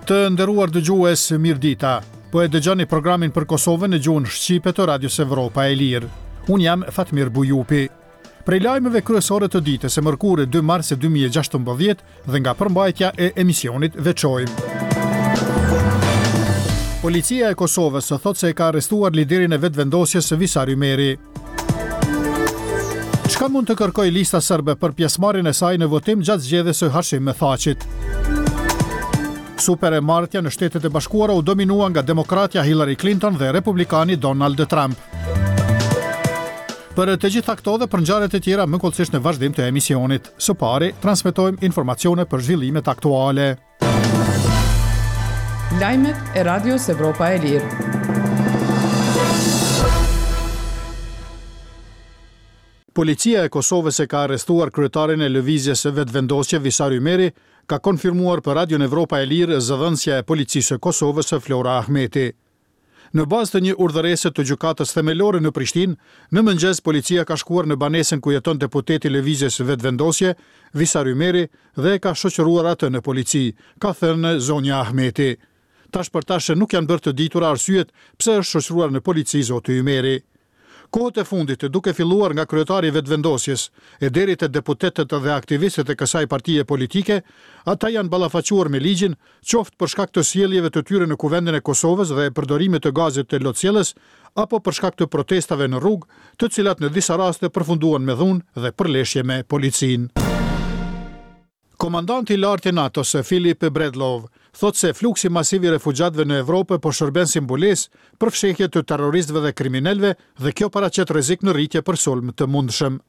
Të nderuar dëgjues, mirëdita. Po e dëgjoni programin për Kosovën në gjuhën shqipe të Radios Evropa e Lirë. Unë jam Fatmir Bujupi. Prej lajmeve kryesore të ditës së mërkurë 2 mars 2016 dhe nga përmbajtja e emisionit veçojmë. Policia e Kosovës thotë se e ka arrestuar liderin e Vetëvendosjes Visar Ymeri. Çka mund të kërkojë Lista Serbe për pjesëmarrjen e saj në votim gjatë zgjedhjes së Hashim Thaçit? Super e martja në Shtetet e Bashkuara u dominua nga demokratja Hillary Clinton dhe republikani Donald Trump. Për të gjitha këto dhe për ngjarjet e tjera më hollësisht në vazhdim të emisionit. Së pari, transmetojmë informacione për zhvillimet aktuale. Lajmet e Radios Evropa e Lirë. Policia e Kosovës e ka arrestuar kryetarin e Lëvizjes Vetëvendosje, Visar Ymeri, ka konfirmuar për Radion Evropa e Lirë zëdhënësja e Policisë së Kosovës, Flora Ahmeti. Në bazë të një urdhërese të Gjykatës Themelore në Prishtinë, në mëngjes policia ka shkuar në banesën ku jeton deputeti i Lëvizjes Vetëvendosje, Visar Ymeri dhe e ka shoqëruar atë në polici, ka thënë zonja Ahmeti. Tash për tash nuk janë bërë të ditura arsyet pse është shoqëruar në polici zoti Ymeri. Kohët e fundit, duke filluar nga kryetari i Vetëvendosjes, e deri te deputetët dhe aktivistët e kësaj partie politike, ata janë ballafaquar me ligjin, qoftë për shkak të sjelljeve të tyre në Kuvendin e Kosovës dhe përdorimit të gazit lotsjellës, apo për shkak të protestave në rrugë, të cilat në disa raste përfunduan me dhunë dhe përleshje me policinë. Komandanti i lartë i NATO-s, Philip Breedlove, thotë se fluksi masiv i refugjatëve në Evropë po shërben si mbulesë për fshehje të terroristëve dhe kriminelëve dhe kjo paraqet rrezik në rritje për sulm të mundshëm.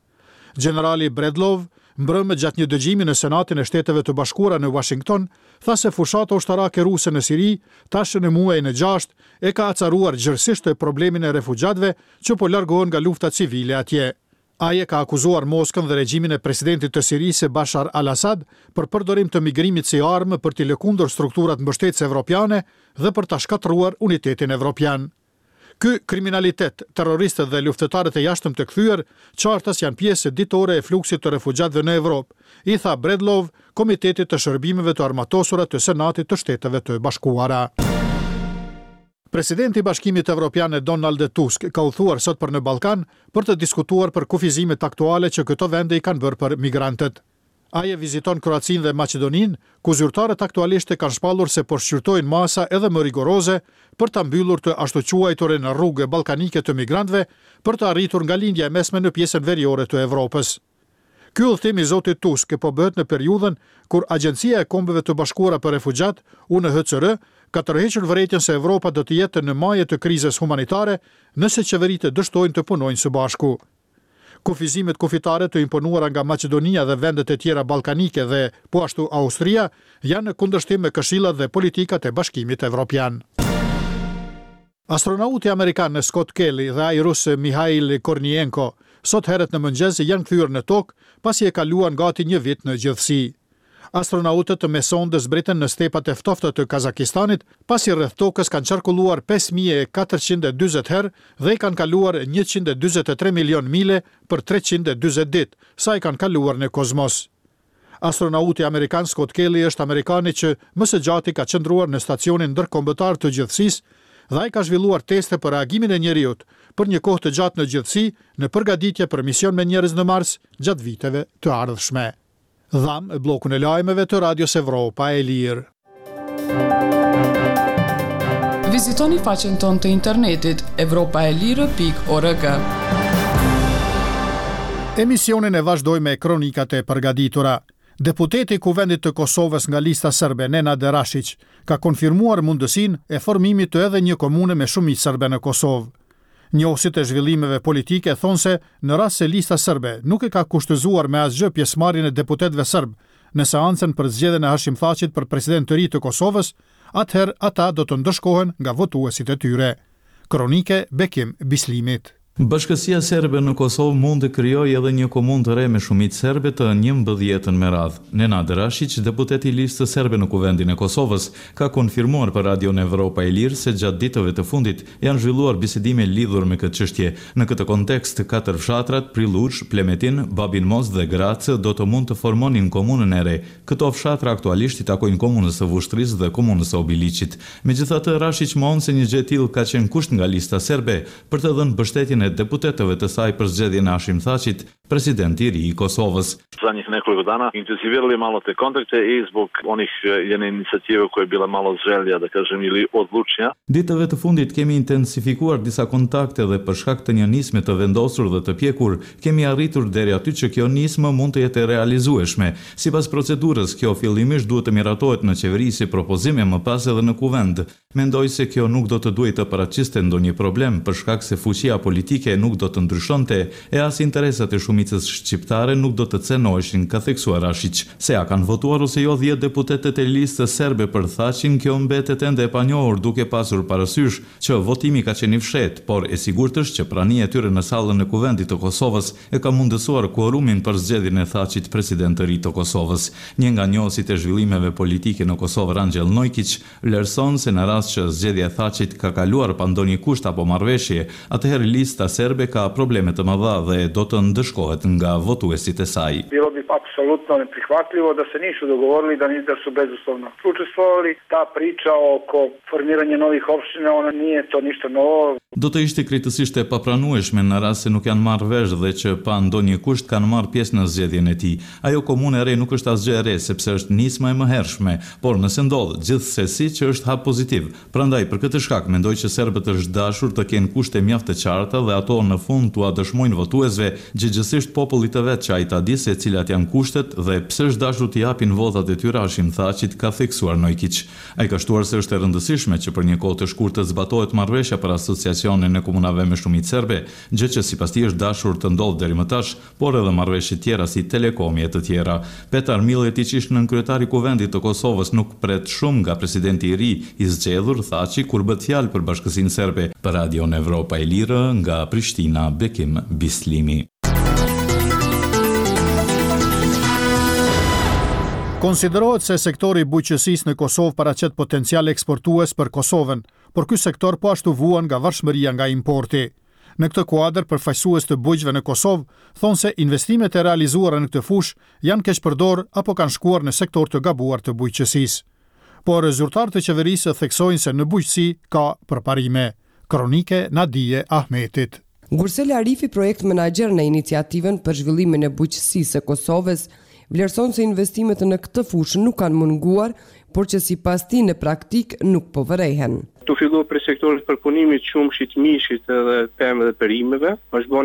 Gjenerali Breedlove, mbrëmë gjatë një dëgjimi në Senatin e Shteteve të Bashkuara në Uashington, tha se fushata ushtarake ruse në Siri, tash në muajin e gjashtë, e ka acaruar gjerësisht problemin e refugjatëve që po largohen nga lufta civile atje. Ai e ka akuzuar Moskën dhe regjimin e presidentit të Sirisë, Bashar al-Assad, për përdorim të migrimit si armë për t'i lëkundur strukturat mbështetëse evropiane dhe për ta shkatërruar unitetin evropian. Ky kriminalitet, terroristët dhe luftëtarët e jashtëm të kthyer, qartas janë pjesë ditore e fluksit të refugjatëve në Evropë, i tha Breedlove Komitetit të Shërbimeve të Armatosura të Senatit të Shteteve të Bashkuara. Presidenti i Bashkimit Evropian Donald Tusk ka udhëtuar sot për në Ballkan për të diskutuar për kufizimet aktuale që këto vende i kanë bërë për migrantët. Ai e viziton Kroacinë dhe Maqedoninë, ku zyrtarët aktualisht kanë shpallur se po shqyrtojnë masa edhe më rigoroze për ta mbyllur të ashtuquajturën rrugë ballkanike të migrantëve për të arritur nga Lindja e Mesme në pjesën veriore të Evropës. Ky udhëtim i zotit Tusk po bëhet në periudhën kur Agjencia e Kombeve të Bashkuara për Refugjatë, UNHCR, ka tërhequr vërejtjen se Evropa do të jetë në maje të krizës humanitare nëse qeveritë dështojnë të punojnë së bashku. Kufizimet kufitare të imponuara nga Maqedonia dhe vendet e tjera ballkanike dhe, po ashtu Austria, janë në kundërshtim me këshillat dhe politikat e Bashkimit Evropian. Astronauti amerikan Scott Kelly dhe ai rus Mihail Kornienko sot herët në mëngjes janë kthyer në Tokë pasi e kaluan gati një vit në gjithësi. Astronautët me sondë zbritën në stepat e ftofta të Kazakistanit pasi rreth Tokës kanë qarkulluar 5440 herë dhe i kanë kaluar 143 milionë mile për 340 ditë, sa i kanë kaluar në kozmos. Astronauti amerikan Scott Kelly është amerikani që më së gjati ka qëndruar në Stacionin Ndërkombëtar të Gjithësisë dhe ai ka zhvilluar teste për reagimin e njeriut për një kohë të gjatë në gjithësi në përgatitje për mision me njerëz në Mars gjatë viteve të ardhshme. Dhamë bllokun e lajmeve të Radios Evropa e Lirë. Vizitoni faqen tonë të internetit evropaelire.org. Emisionin e vazhdojmë me kronikat e përgatitura. Deputeti i Kuvendit të Kosovës nga Lista Serbe, Nenad Rashiq, ka konfirmuar mundësinë e formimit të edhe një komune me shumicë serbe në Kosovë. Njohësit e zhvillimeve politike thonë se në rast se Lista Serbe nuk e ka kushtëzuar me asgjë pjesëmarrjen e deputetëve serbë në seancën për zgjedhjen e Hashim Thaçit për president të ri të Kosovës, atëherë ata do të ndëshkohen nga votuesit e tyre. Kronikë e Bekim Bislimit. Bashkësia serbe në Kosovë mund të krijojë edhe një komunë të re me shumicë serbe të njëmbëdhjetën me radhë. Nenad Rashiq, deputet i Listës Serbe në Kuvendin e Kosovës, ka konfirmuar për Radion Evropa e Lirë se gjatë ditëve të fundit janë zhvilluar bisedime lidhur me këtë çështje. Në këtë kontekst, katër fshatrat, Prilluç, Plemetin, Babin Most dhe Gracë do të mund të formonin komunën e re. Këto fshatra aktualisht i takojnë Komunës së Vushtrrisë dhe Komunës së Obiliqit. Megjithatë, Rashiq mohon se një gjë e tillë ka qenë kusht nga Lista Serbe për të dhënë mbështetjen e deputetëve të saj për zgjedhjen e Hashim Thaçit, president i ri i Kosovës. Zadnjih nekoliko dana intenzivirali malo te kontakte i zbog onih jedne inicijative koja je bila malo zrelija, da kažem, ili odlučnija. Ditëve të fundit kemi intensifikuar disa kontakte dhe për shkak të një nisme të vendosur dhe të pjekur, kemi arritur deri aty që kjo nismë mund të jetë e realizueshme. Sipas procedurës, kjo fillimisht duhet të miratohet në qeveri si propozim e më pas edhe në Kuvend. Mendoj se kjo nuk do të duhej të paraqiste ndonjë problem, për shkak se fuqia politike nuk do të ndryshonte e as interesat e shumicës shqiptare nuk do të cenoheshin, ka theksuar Rashiq. Se a kanë votuar ose jo dhjetë deputetët e Listës Serbe për Thaçin, kjo mbetet ende e panjohur duke pasur parasysh që votimi ka qenë i fshehtë, por e sigurt është që prania e tyre në sallën e Kuvendit të Kosovës e ka mundësuar kuorumin për zgjedhjen e Thaçit president të ri të Kosovës. Një nga njohësit e zhvillimeve politike në Kosovë, Rangjel Nojkiq, Vlerëson se në rast që zgjedhja e Thaçit ka kaluar pa ndonjë kusht apo marrëveshje, atëherë Lista Serbe ka probleme të mëdha dhe do të ndëshkohet nga votuesit e saj. Bilo bi apsolutno neprihvatljivo da se nisu dogovorili, da da su bezuslovno učestvovali. Ta priča oko formiranja novih opština, ona nije to ništa novo. Do të ishte krejtësisht e papranueshme në rast se nuk janë marrë vesh dhe që pa ndonjë kusht kanë marrë pjesë në zgjedhjen e tij. Ajo komunë e re nuk është asgjë e re, sepse është nisma e mëhershme, por nëse ndodh, gjithsesi që është hap pozitiv. Prandaj, për këtë shkak, mendoj që serbët është dashur të kenë kushte mjaft të qarta dhe ato në fund t'ua dëshmojnë votuesve, gjegjësisht popullit të vet që ai ta di se cilat janë kushtet dhe pse është dashur t'i japin votat e tyre Hashim Thaçit, ka theksuar Nojkiq. Ai ka shtuar se është e rëndësishme që për një kohë të shkurtër të zbatohet marrëveshja për Asociacionin e Komunave me shumicë serbe, gjë që sipas tij është dashur të ndodhë deri më tash, por edhe marrëveshje tjera si Telekomi e të tjera. Petar Milletiq, ish-nënkryetar i Kuvendit të Kosovës, nuk pret shumë nga presidenti i ri i zgjedhur, Thaçi, kur bëhet fjalë për Bashkësinë Serbe. Për Radion Evropa e Lirë, nga Prishtina, Bekim Bislimi. Konsiderohet se sektori i bujqësisë në Kosovë paraqet potencial eksportues për Kosovën, por ky sektor po ashtu vuan nga varshmëria nga importi. Në këtë kuadër, përfaqësues të bujqve në Kosovë thonë se investimet e realizuara në këtë fushë janë keqpërdorë apo kanë shkuar në sektorë të gabuar të bujqësisë. Por zyrtarë të qeverisë theksojnë se në bujqësi ka përparime. Kronikë e Nadije Ahmetit. Gursel Arifi, projekt menaxher në Iniciativën për Zhvillimin e Bujqësisë së Kosovës, vlerëson se investimet në këtë fushë nuk kanë munguar, por që sipas tij në praktikë nuk po vërehen. Tu fillu prej sektorit të përpunimit qumështit, mishit edhe pemëve dhe perimeve, është bo.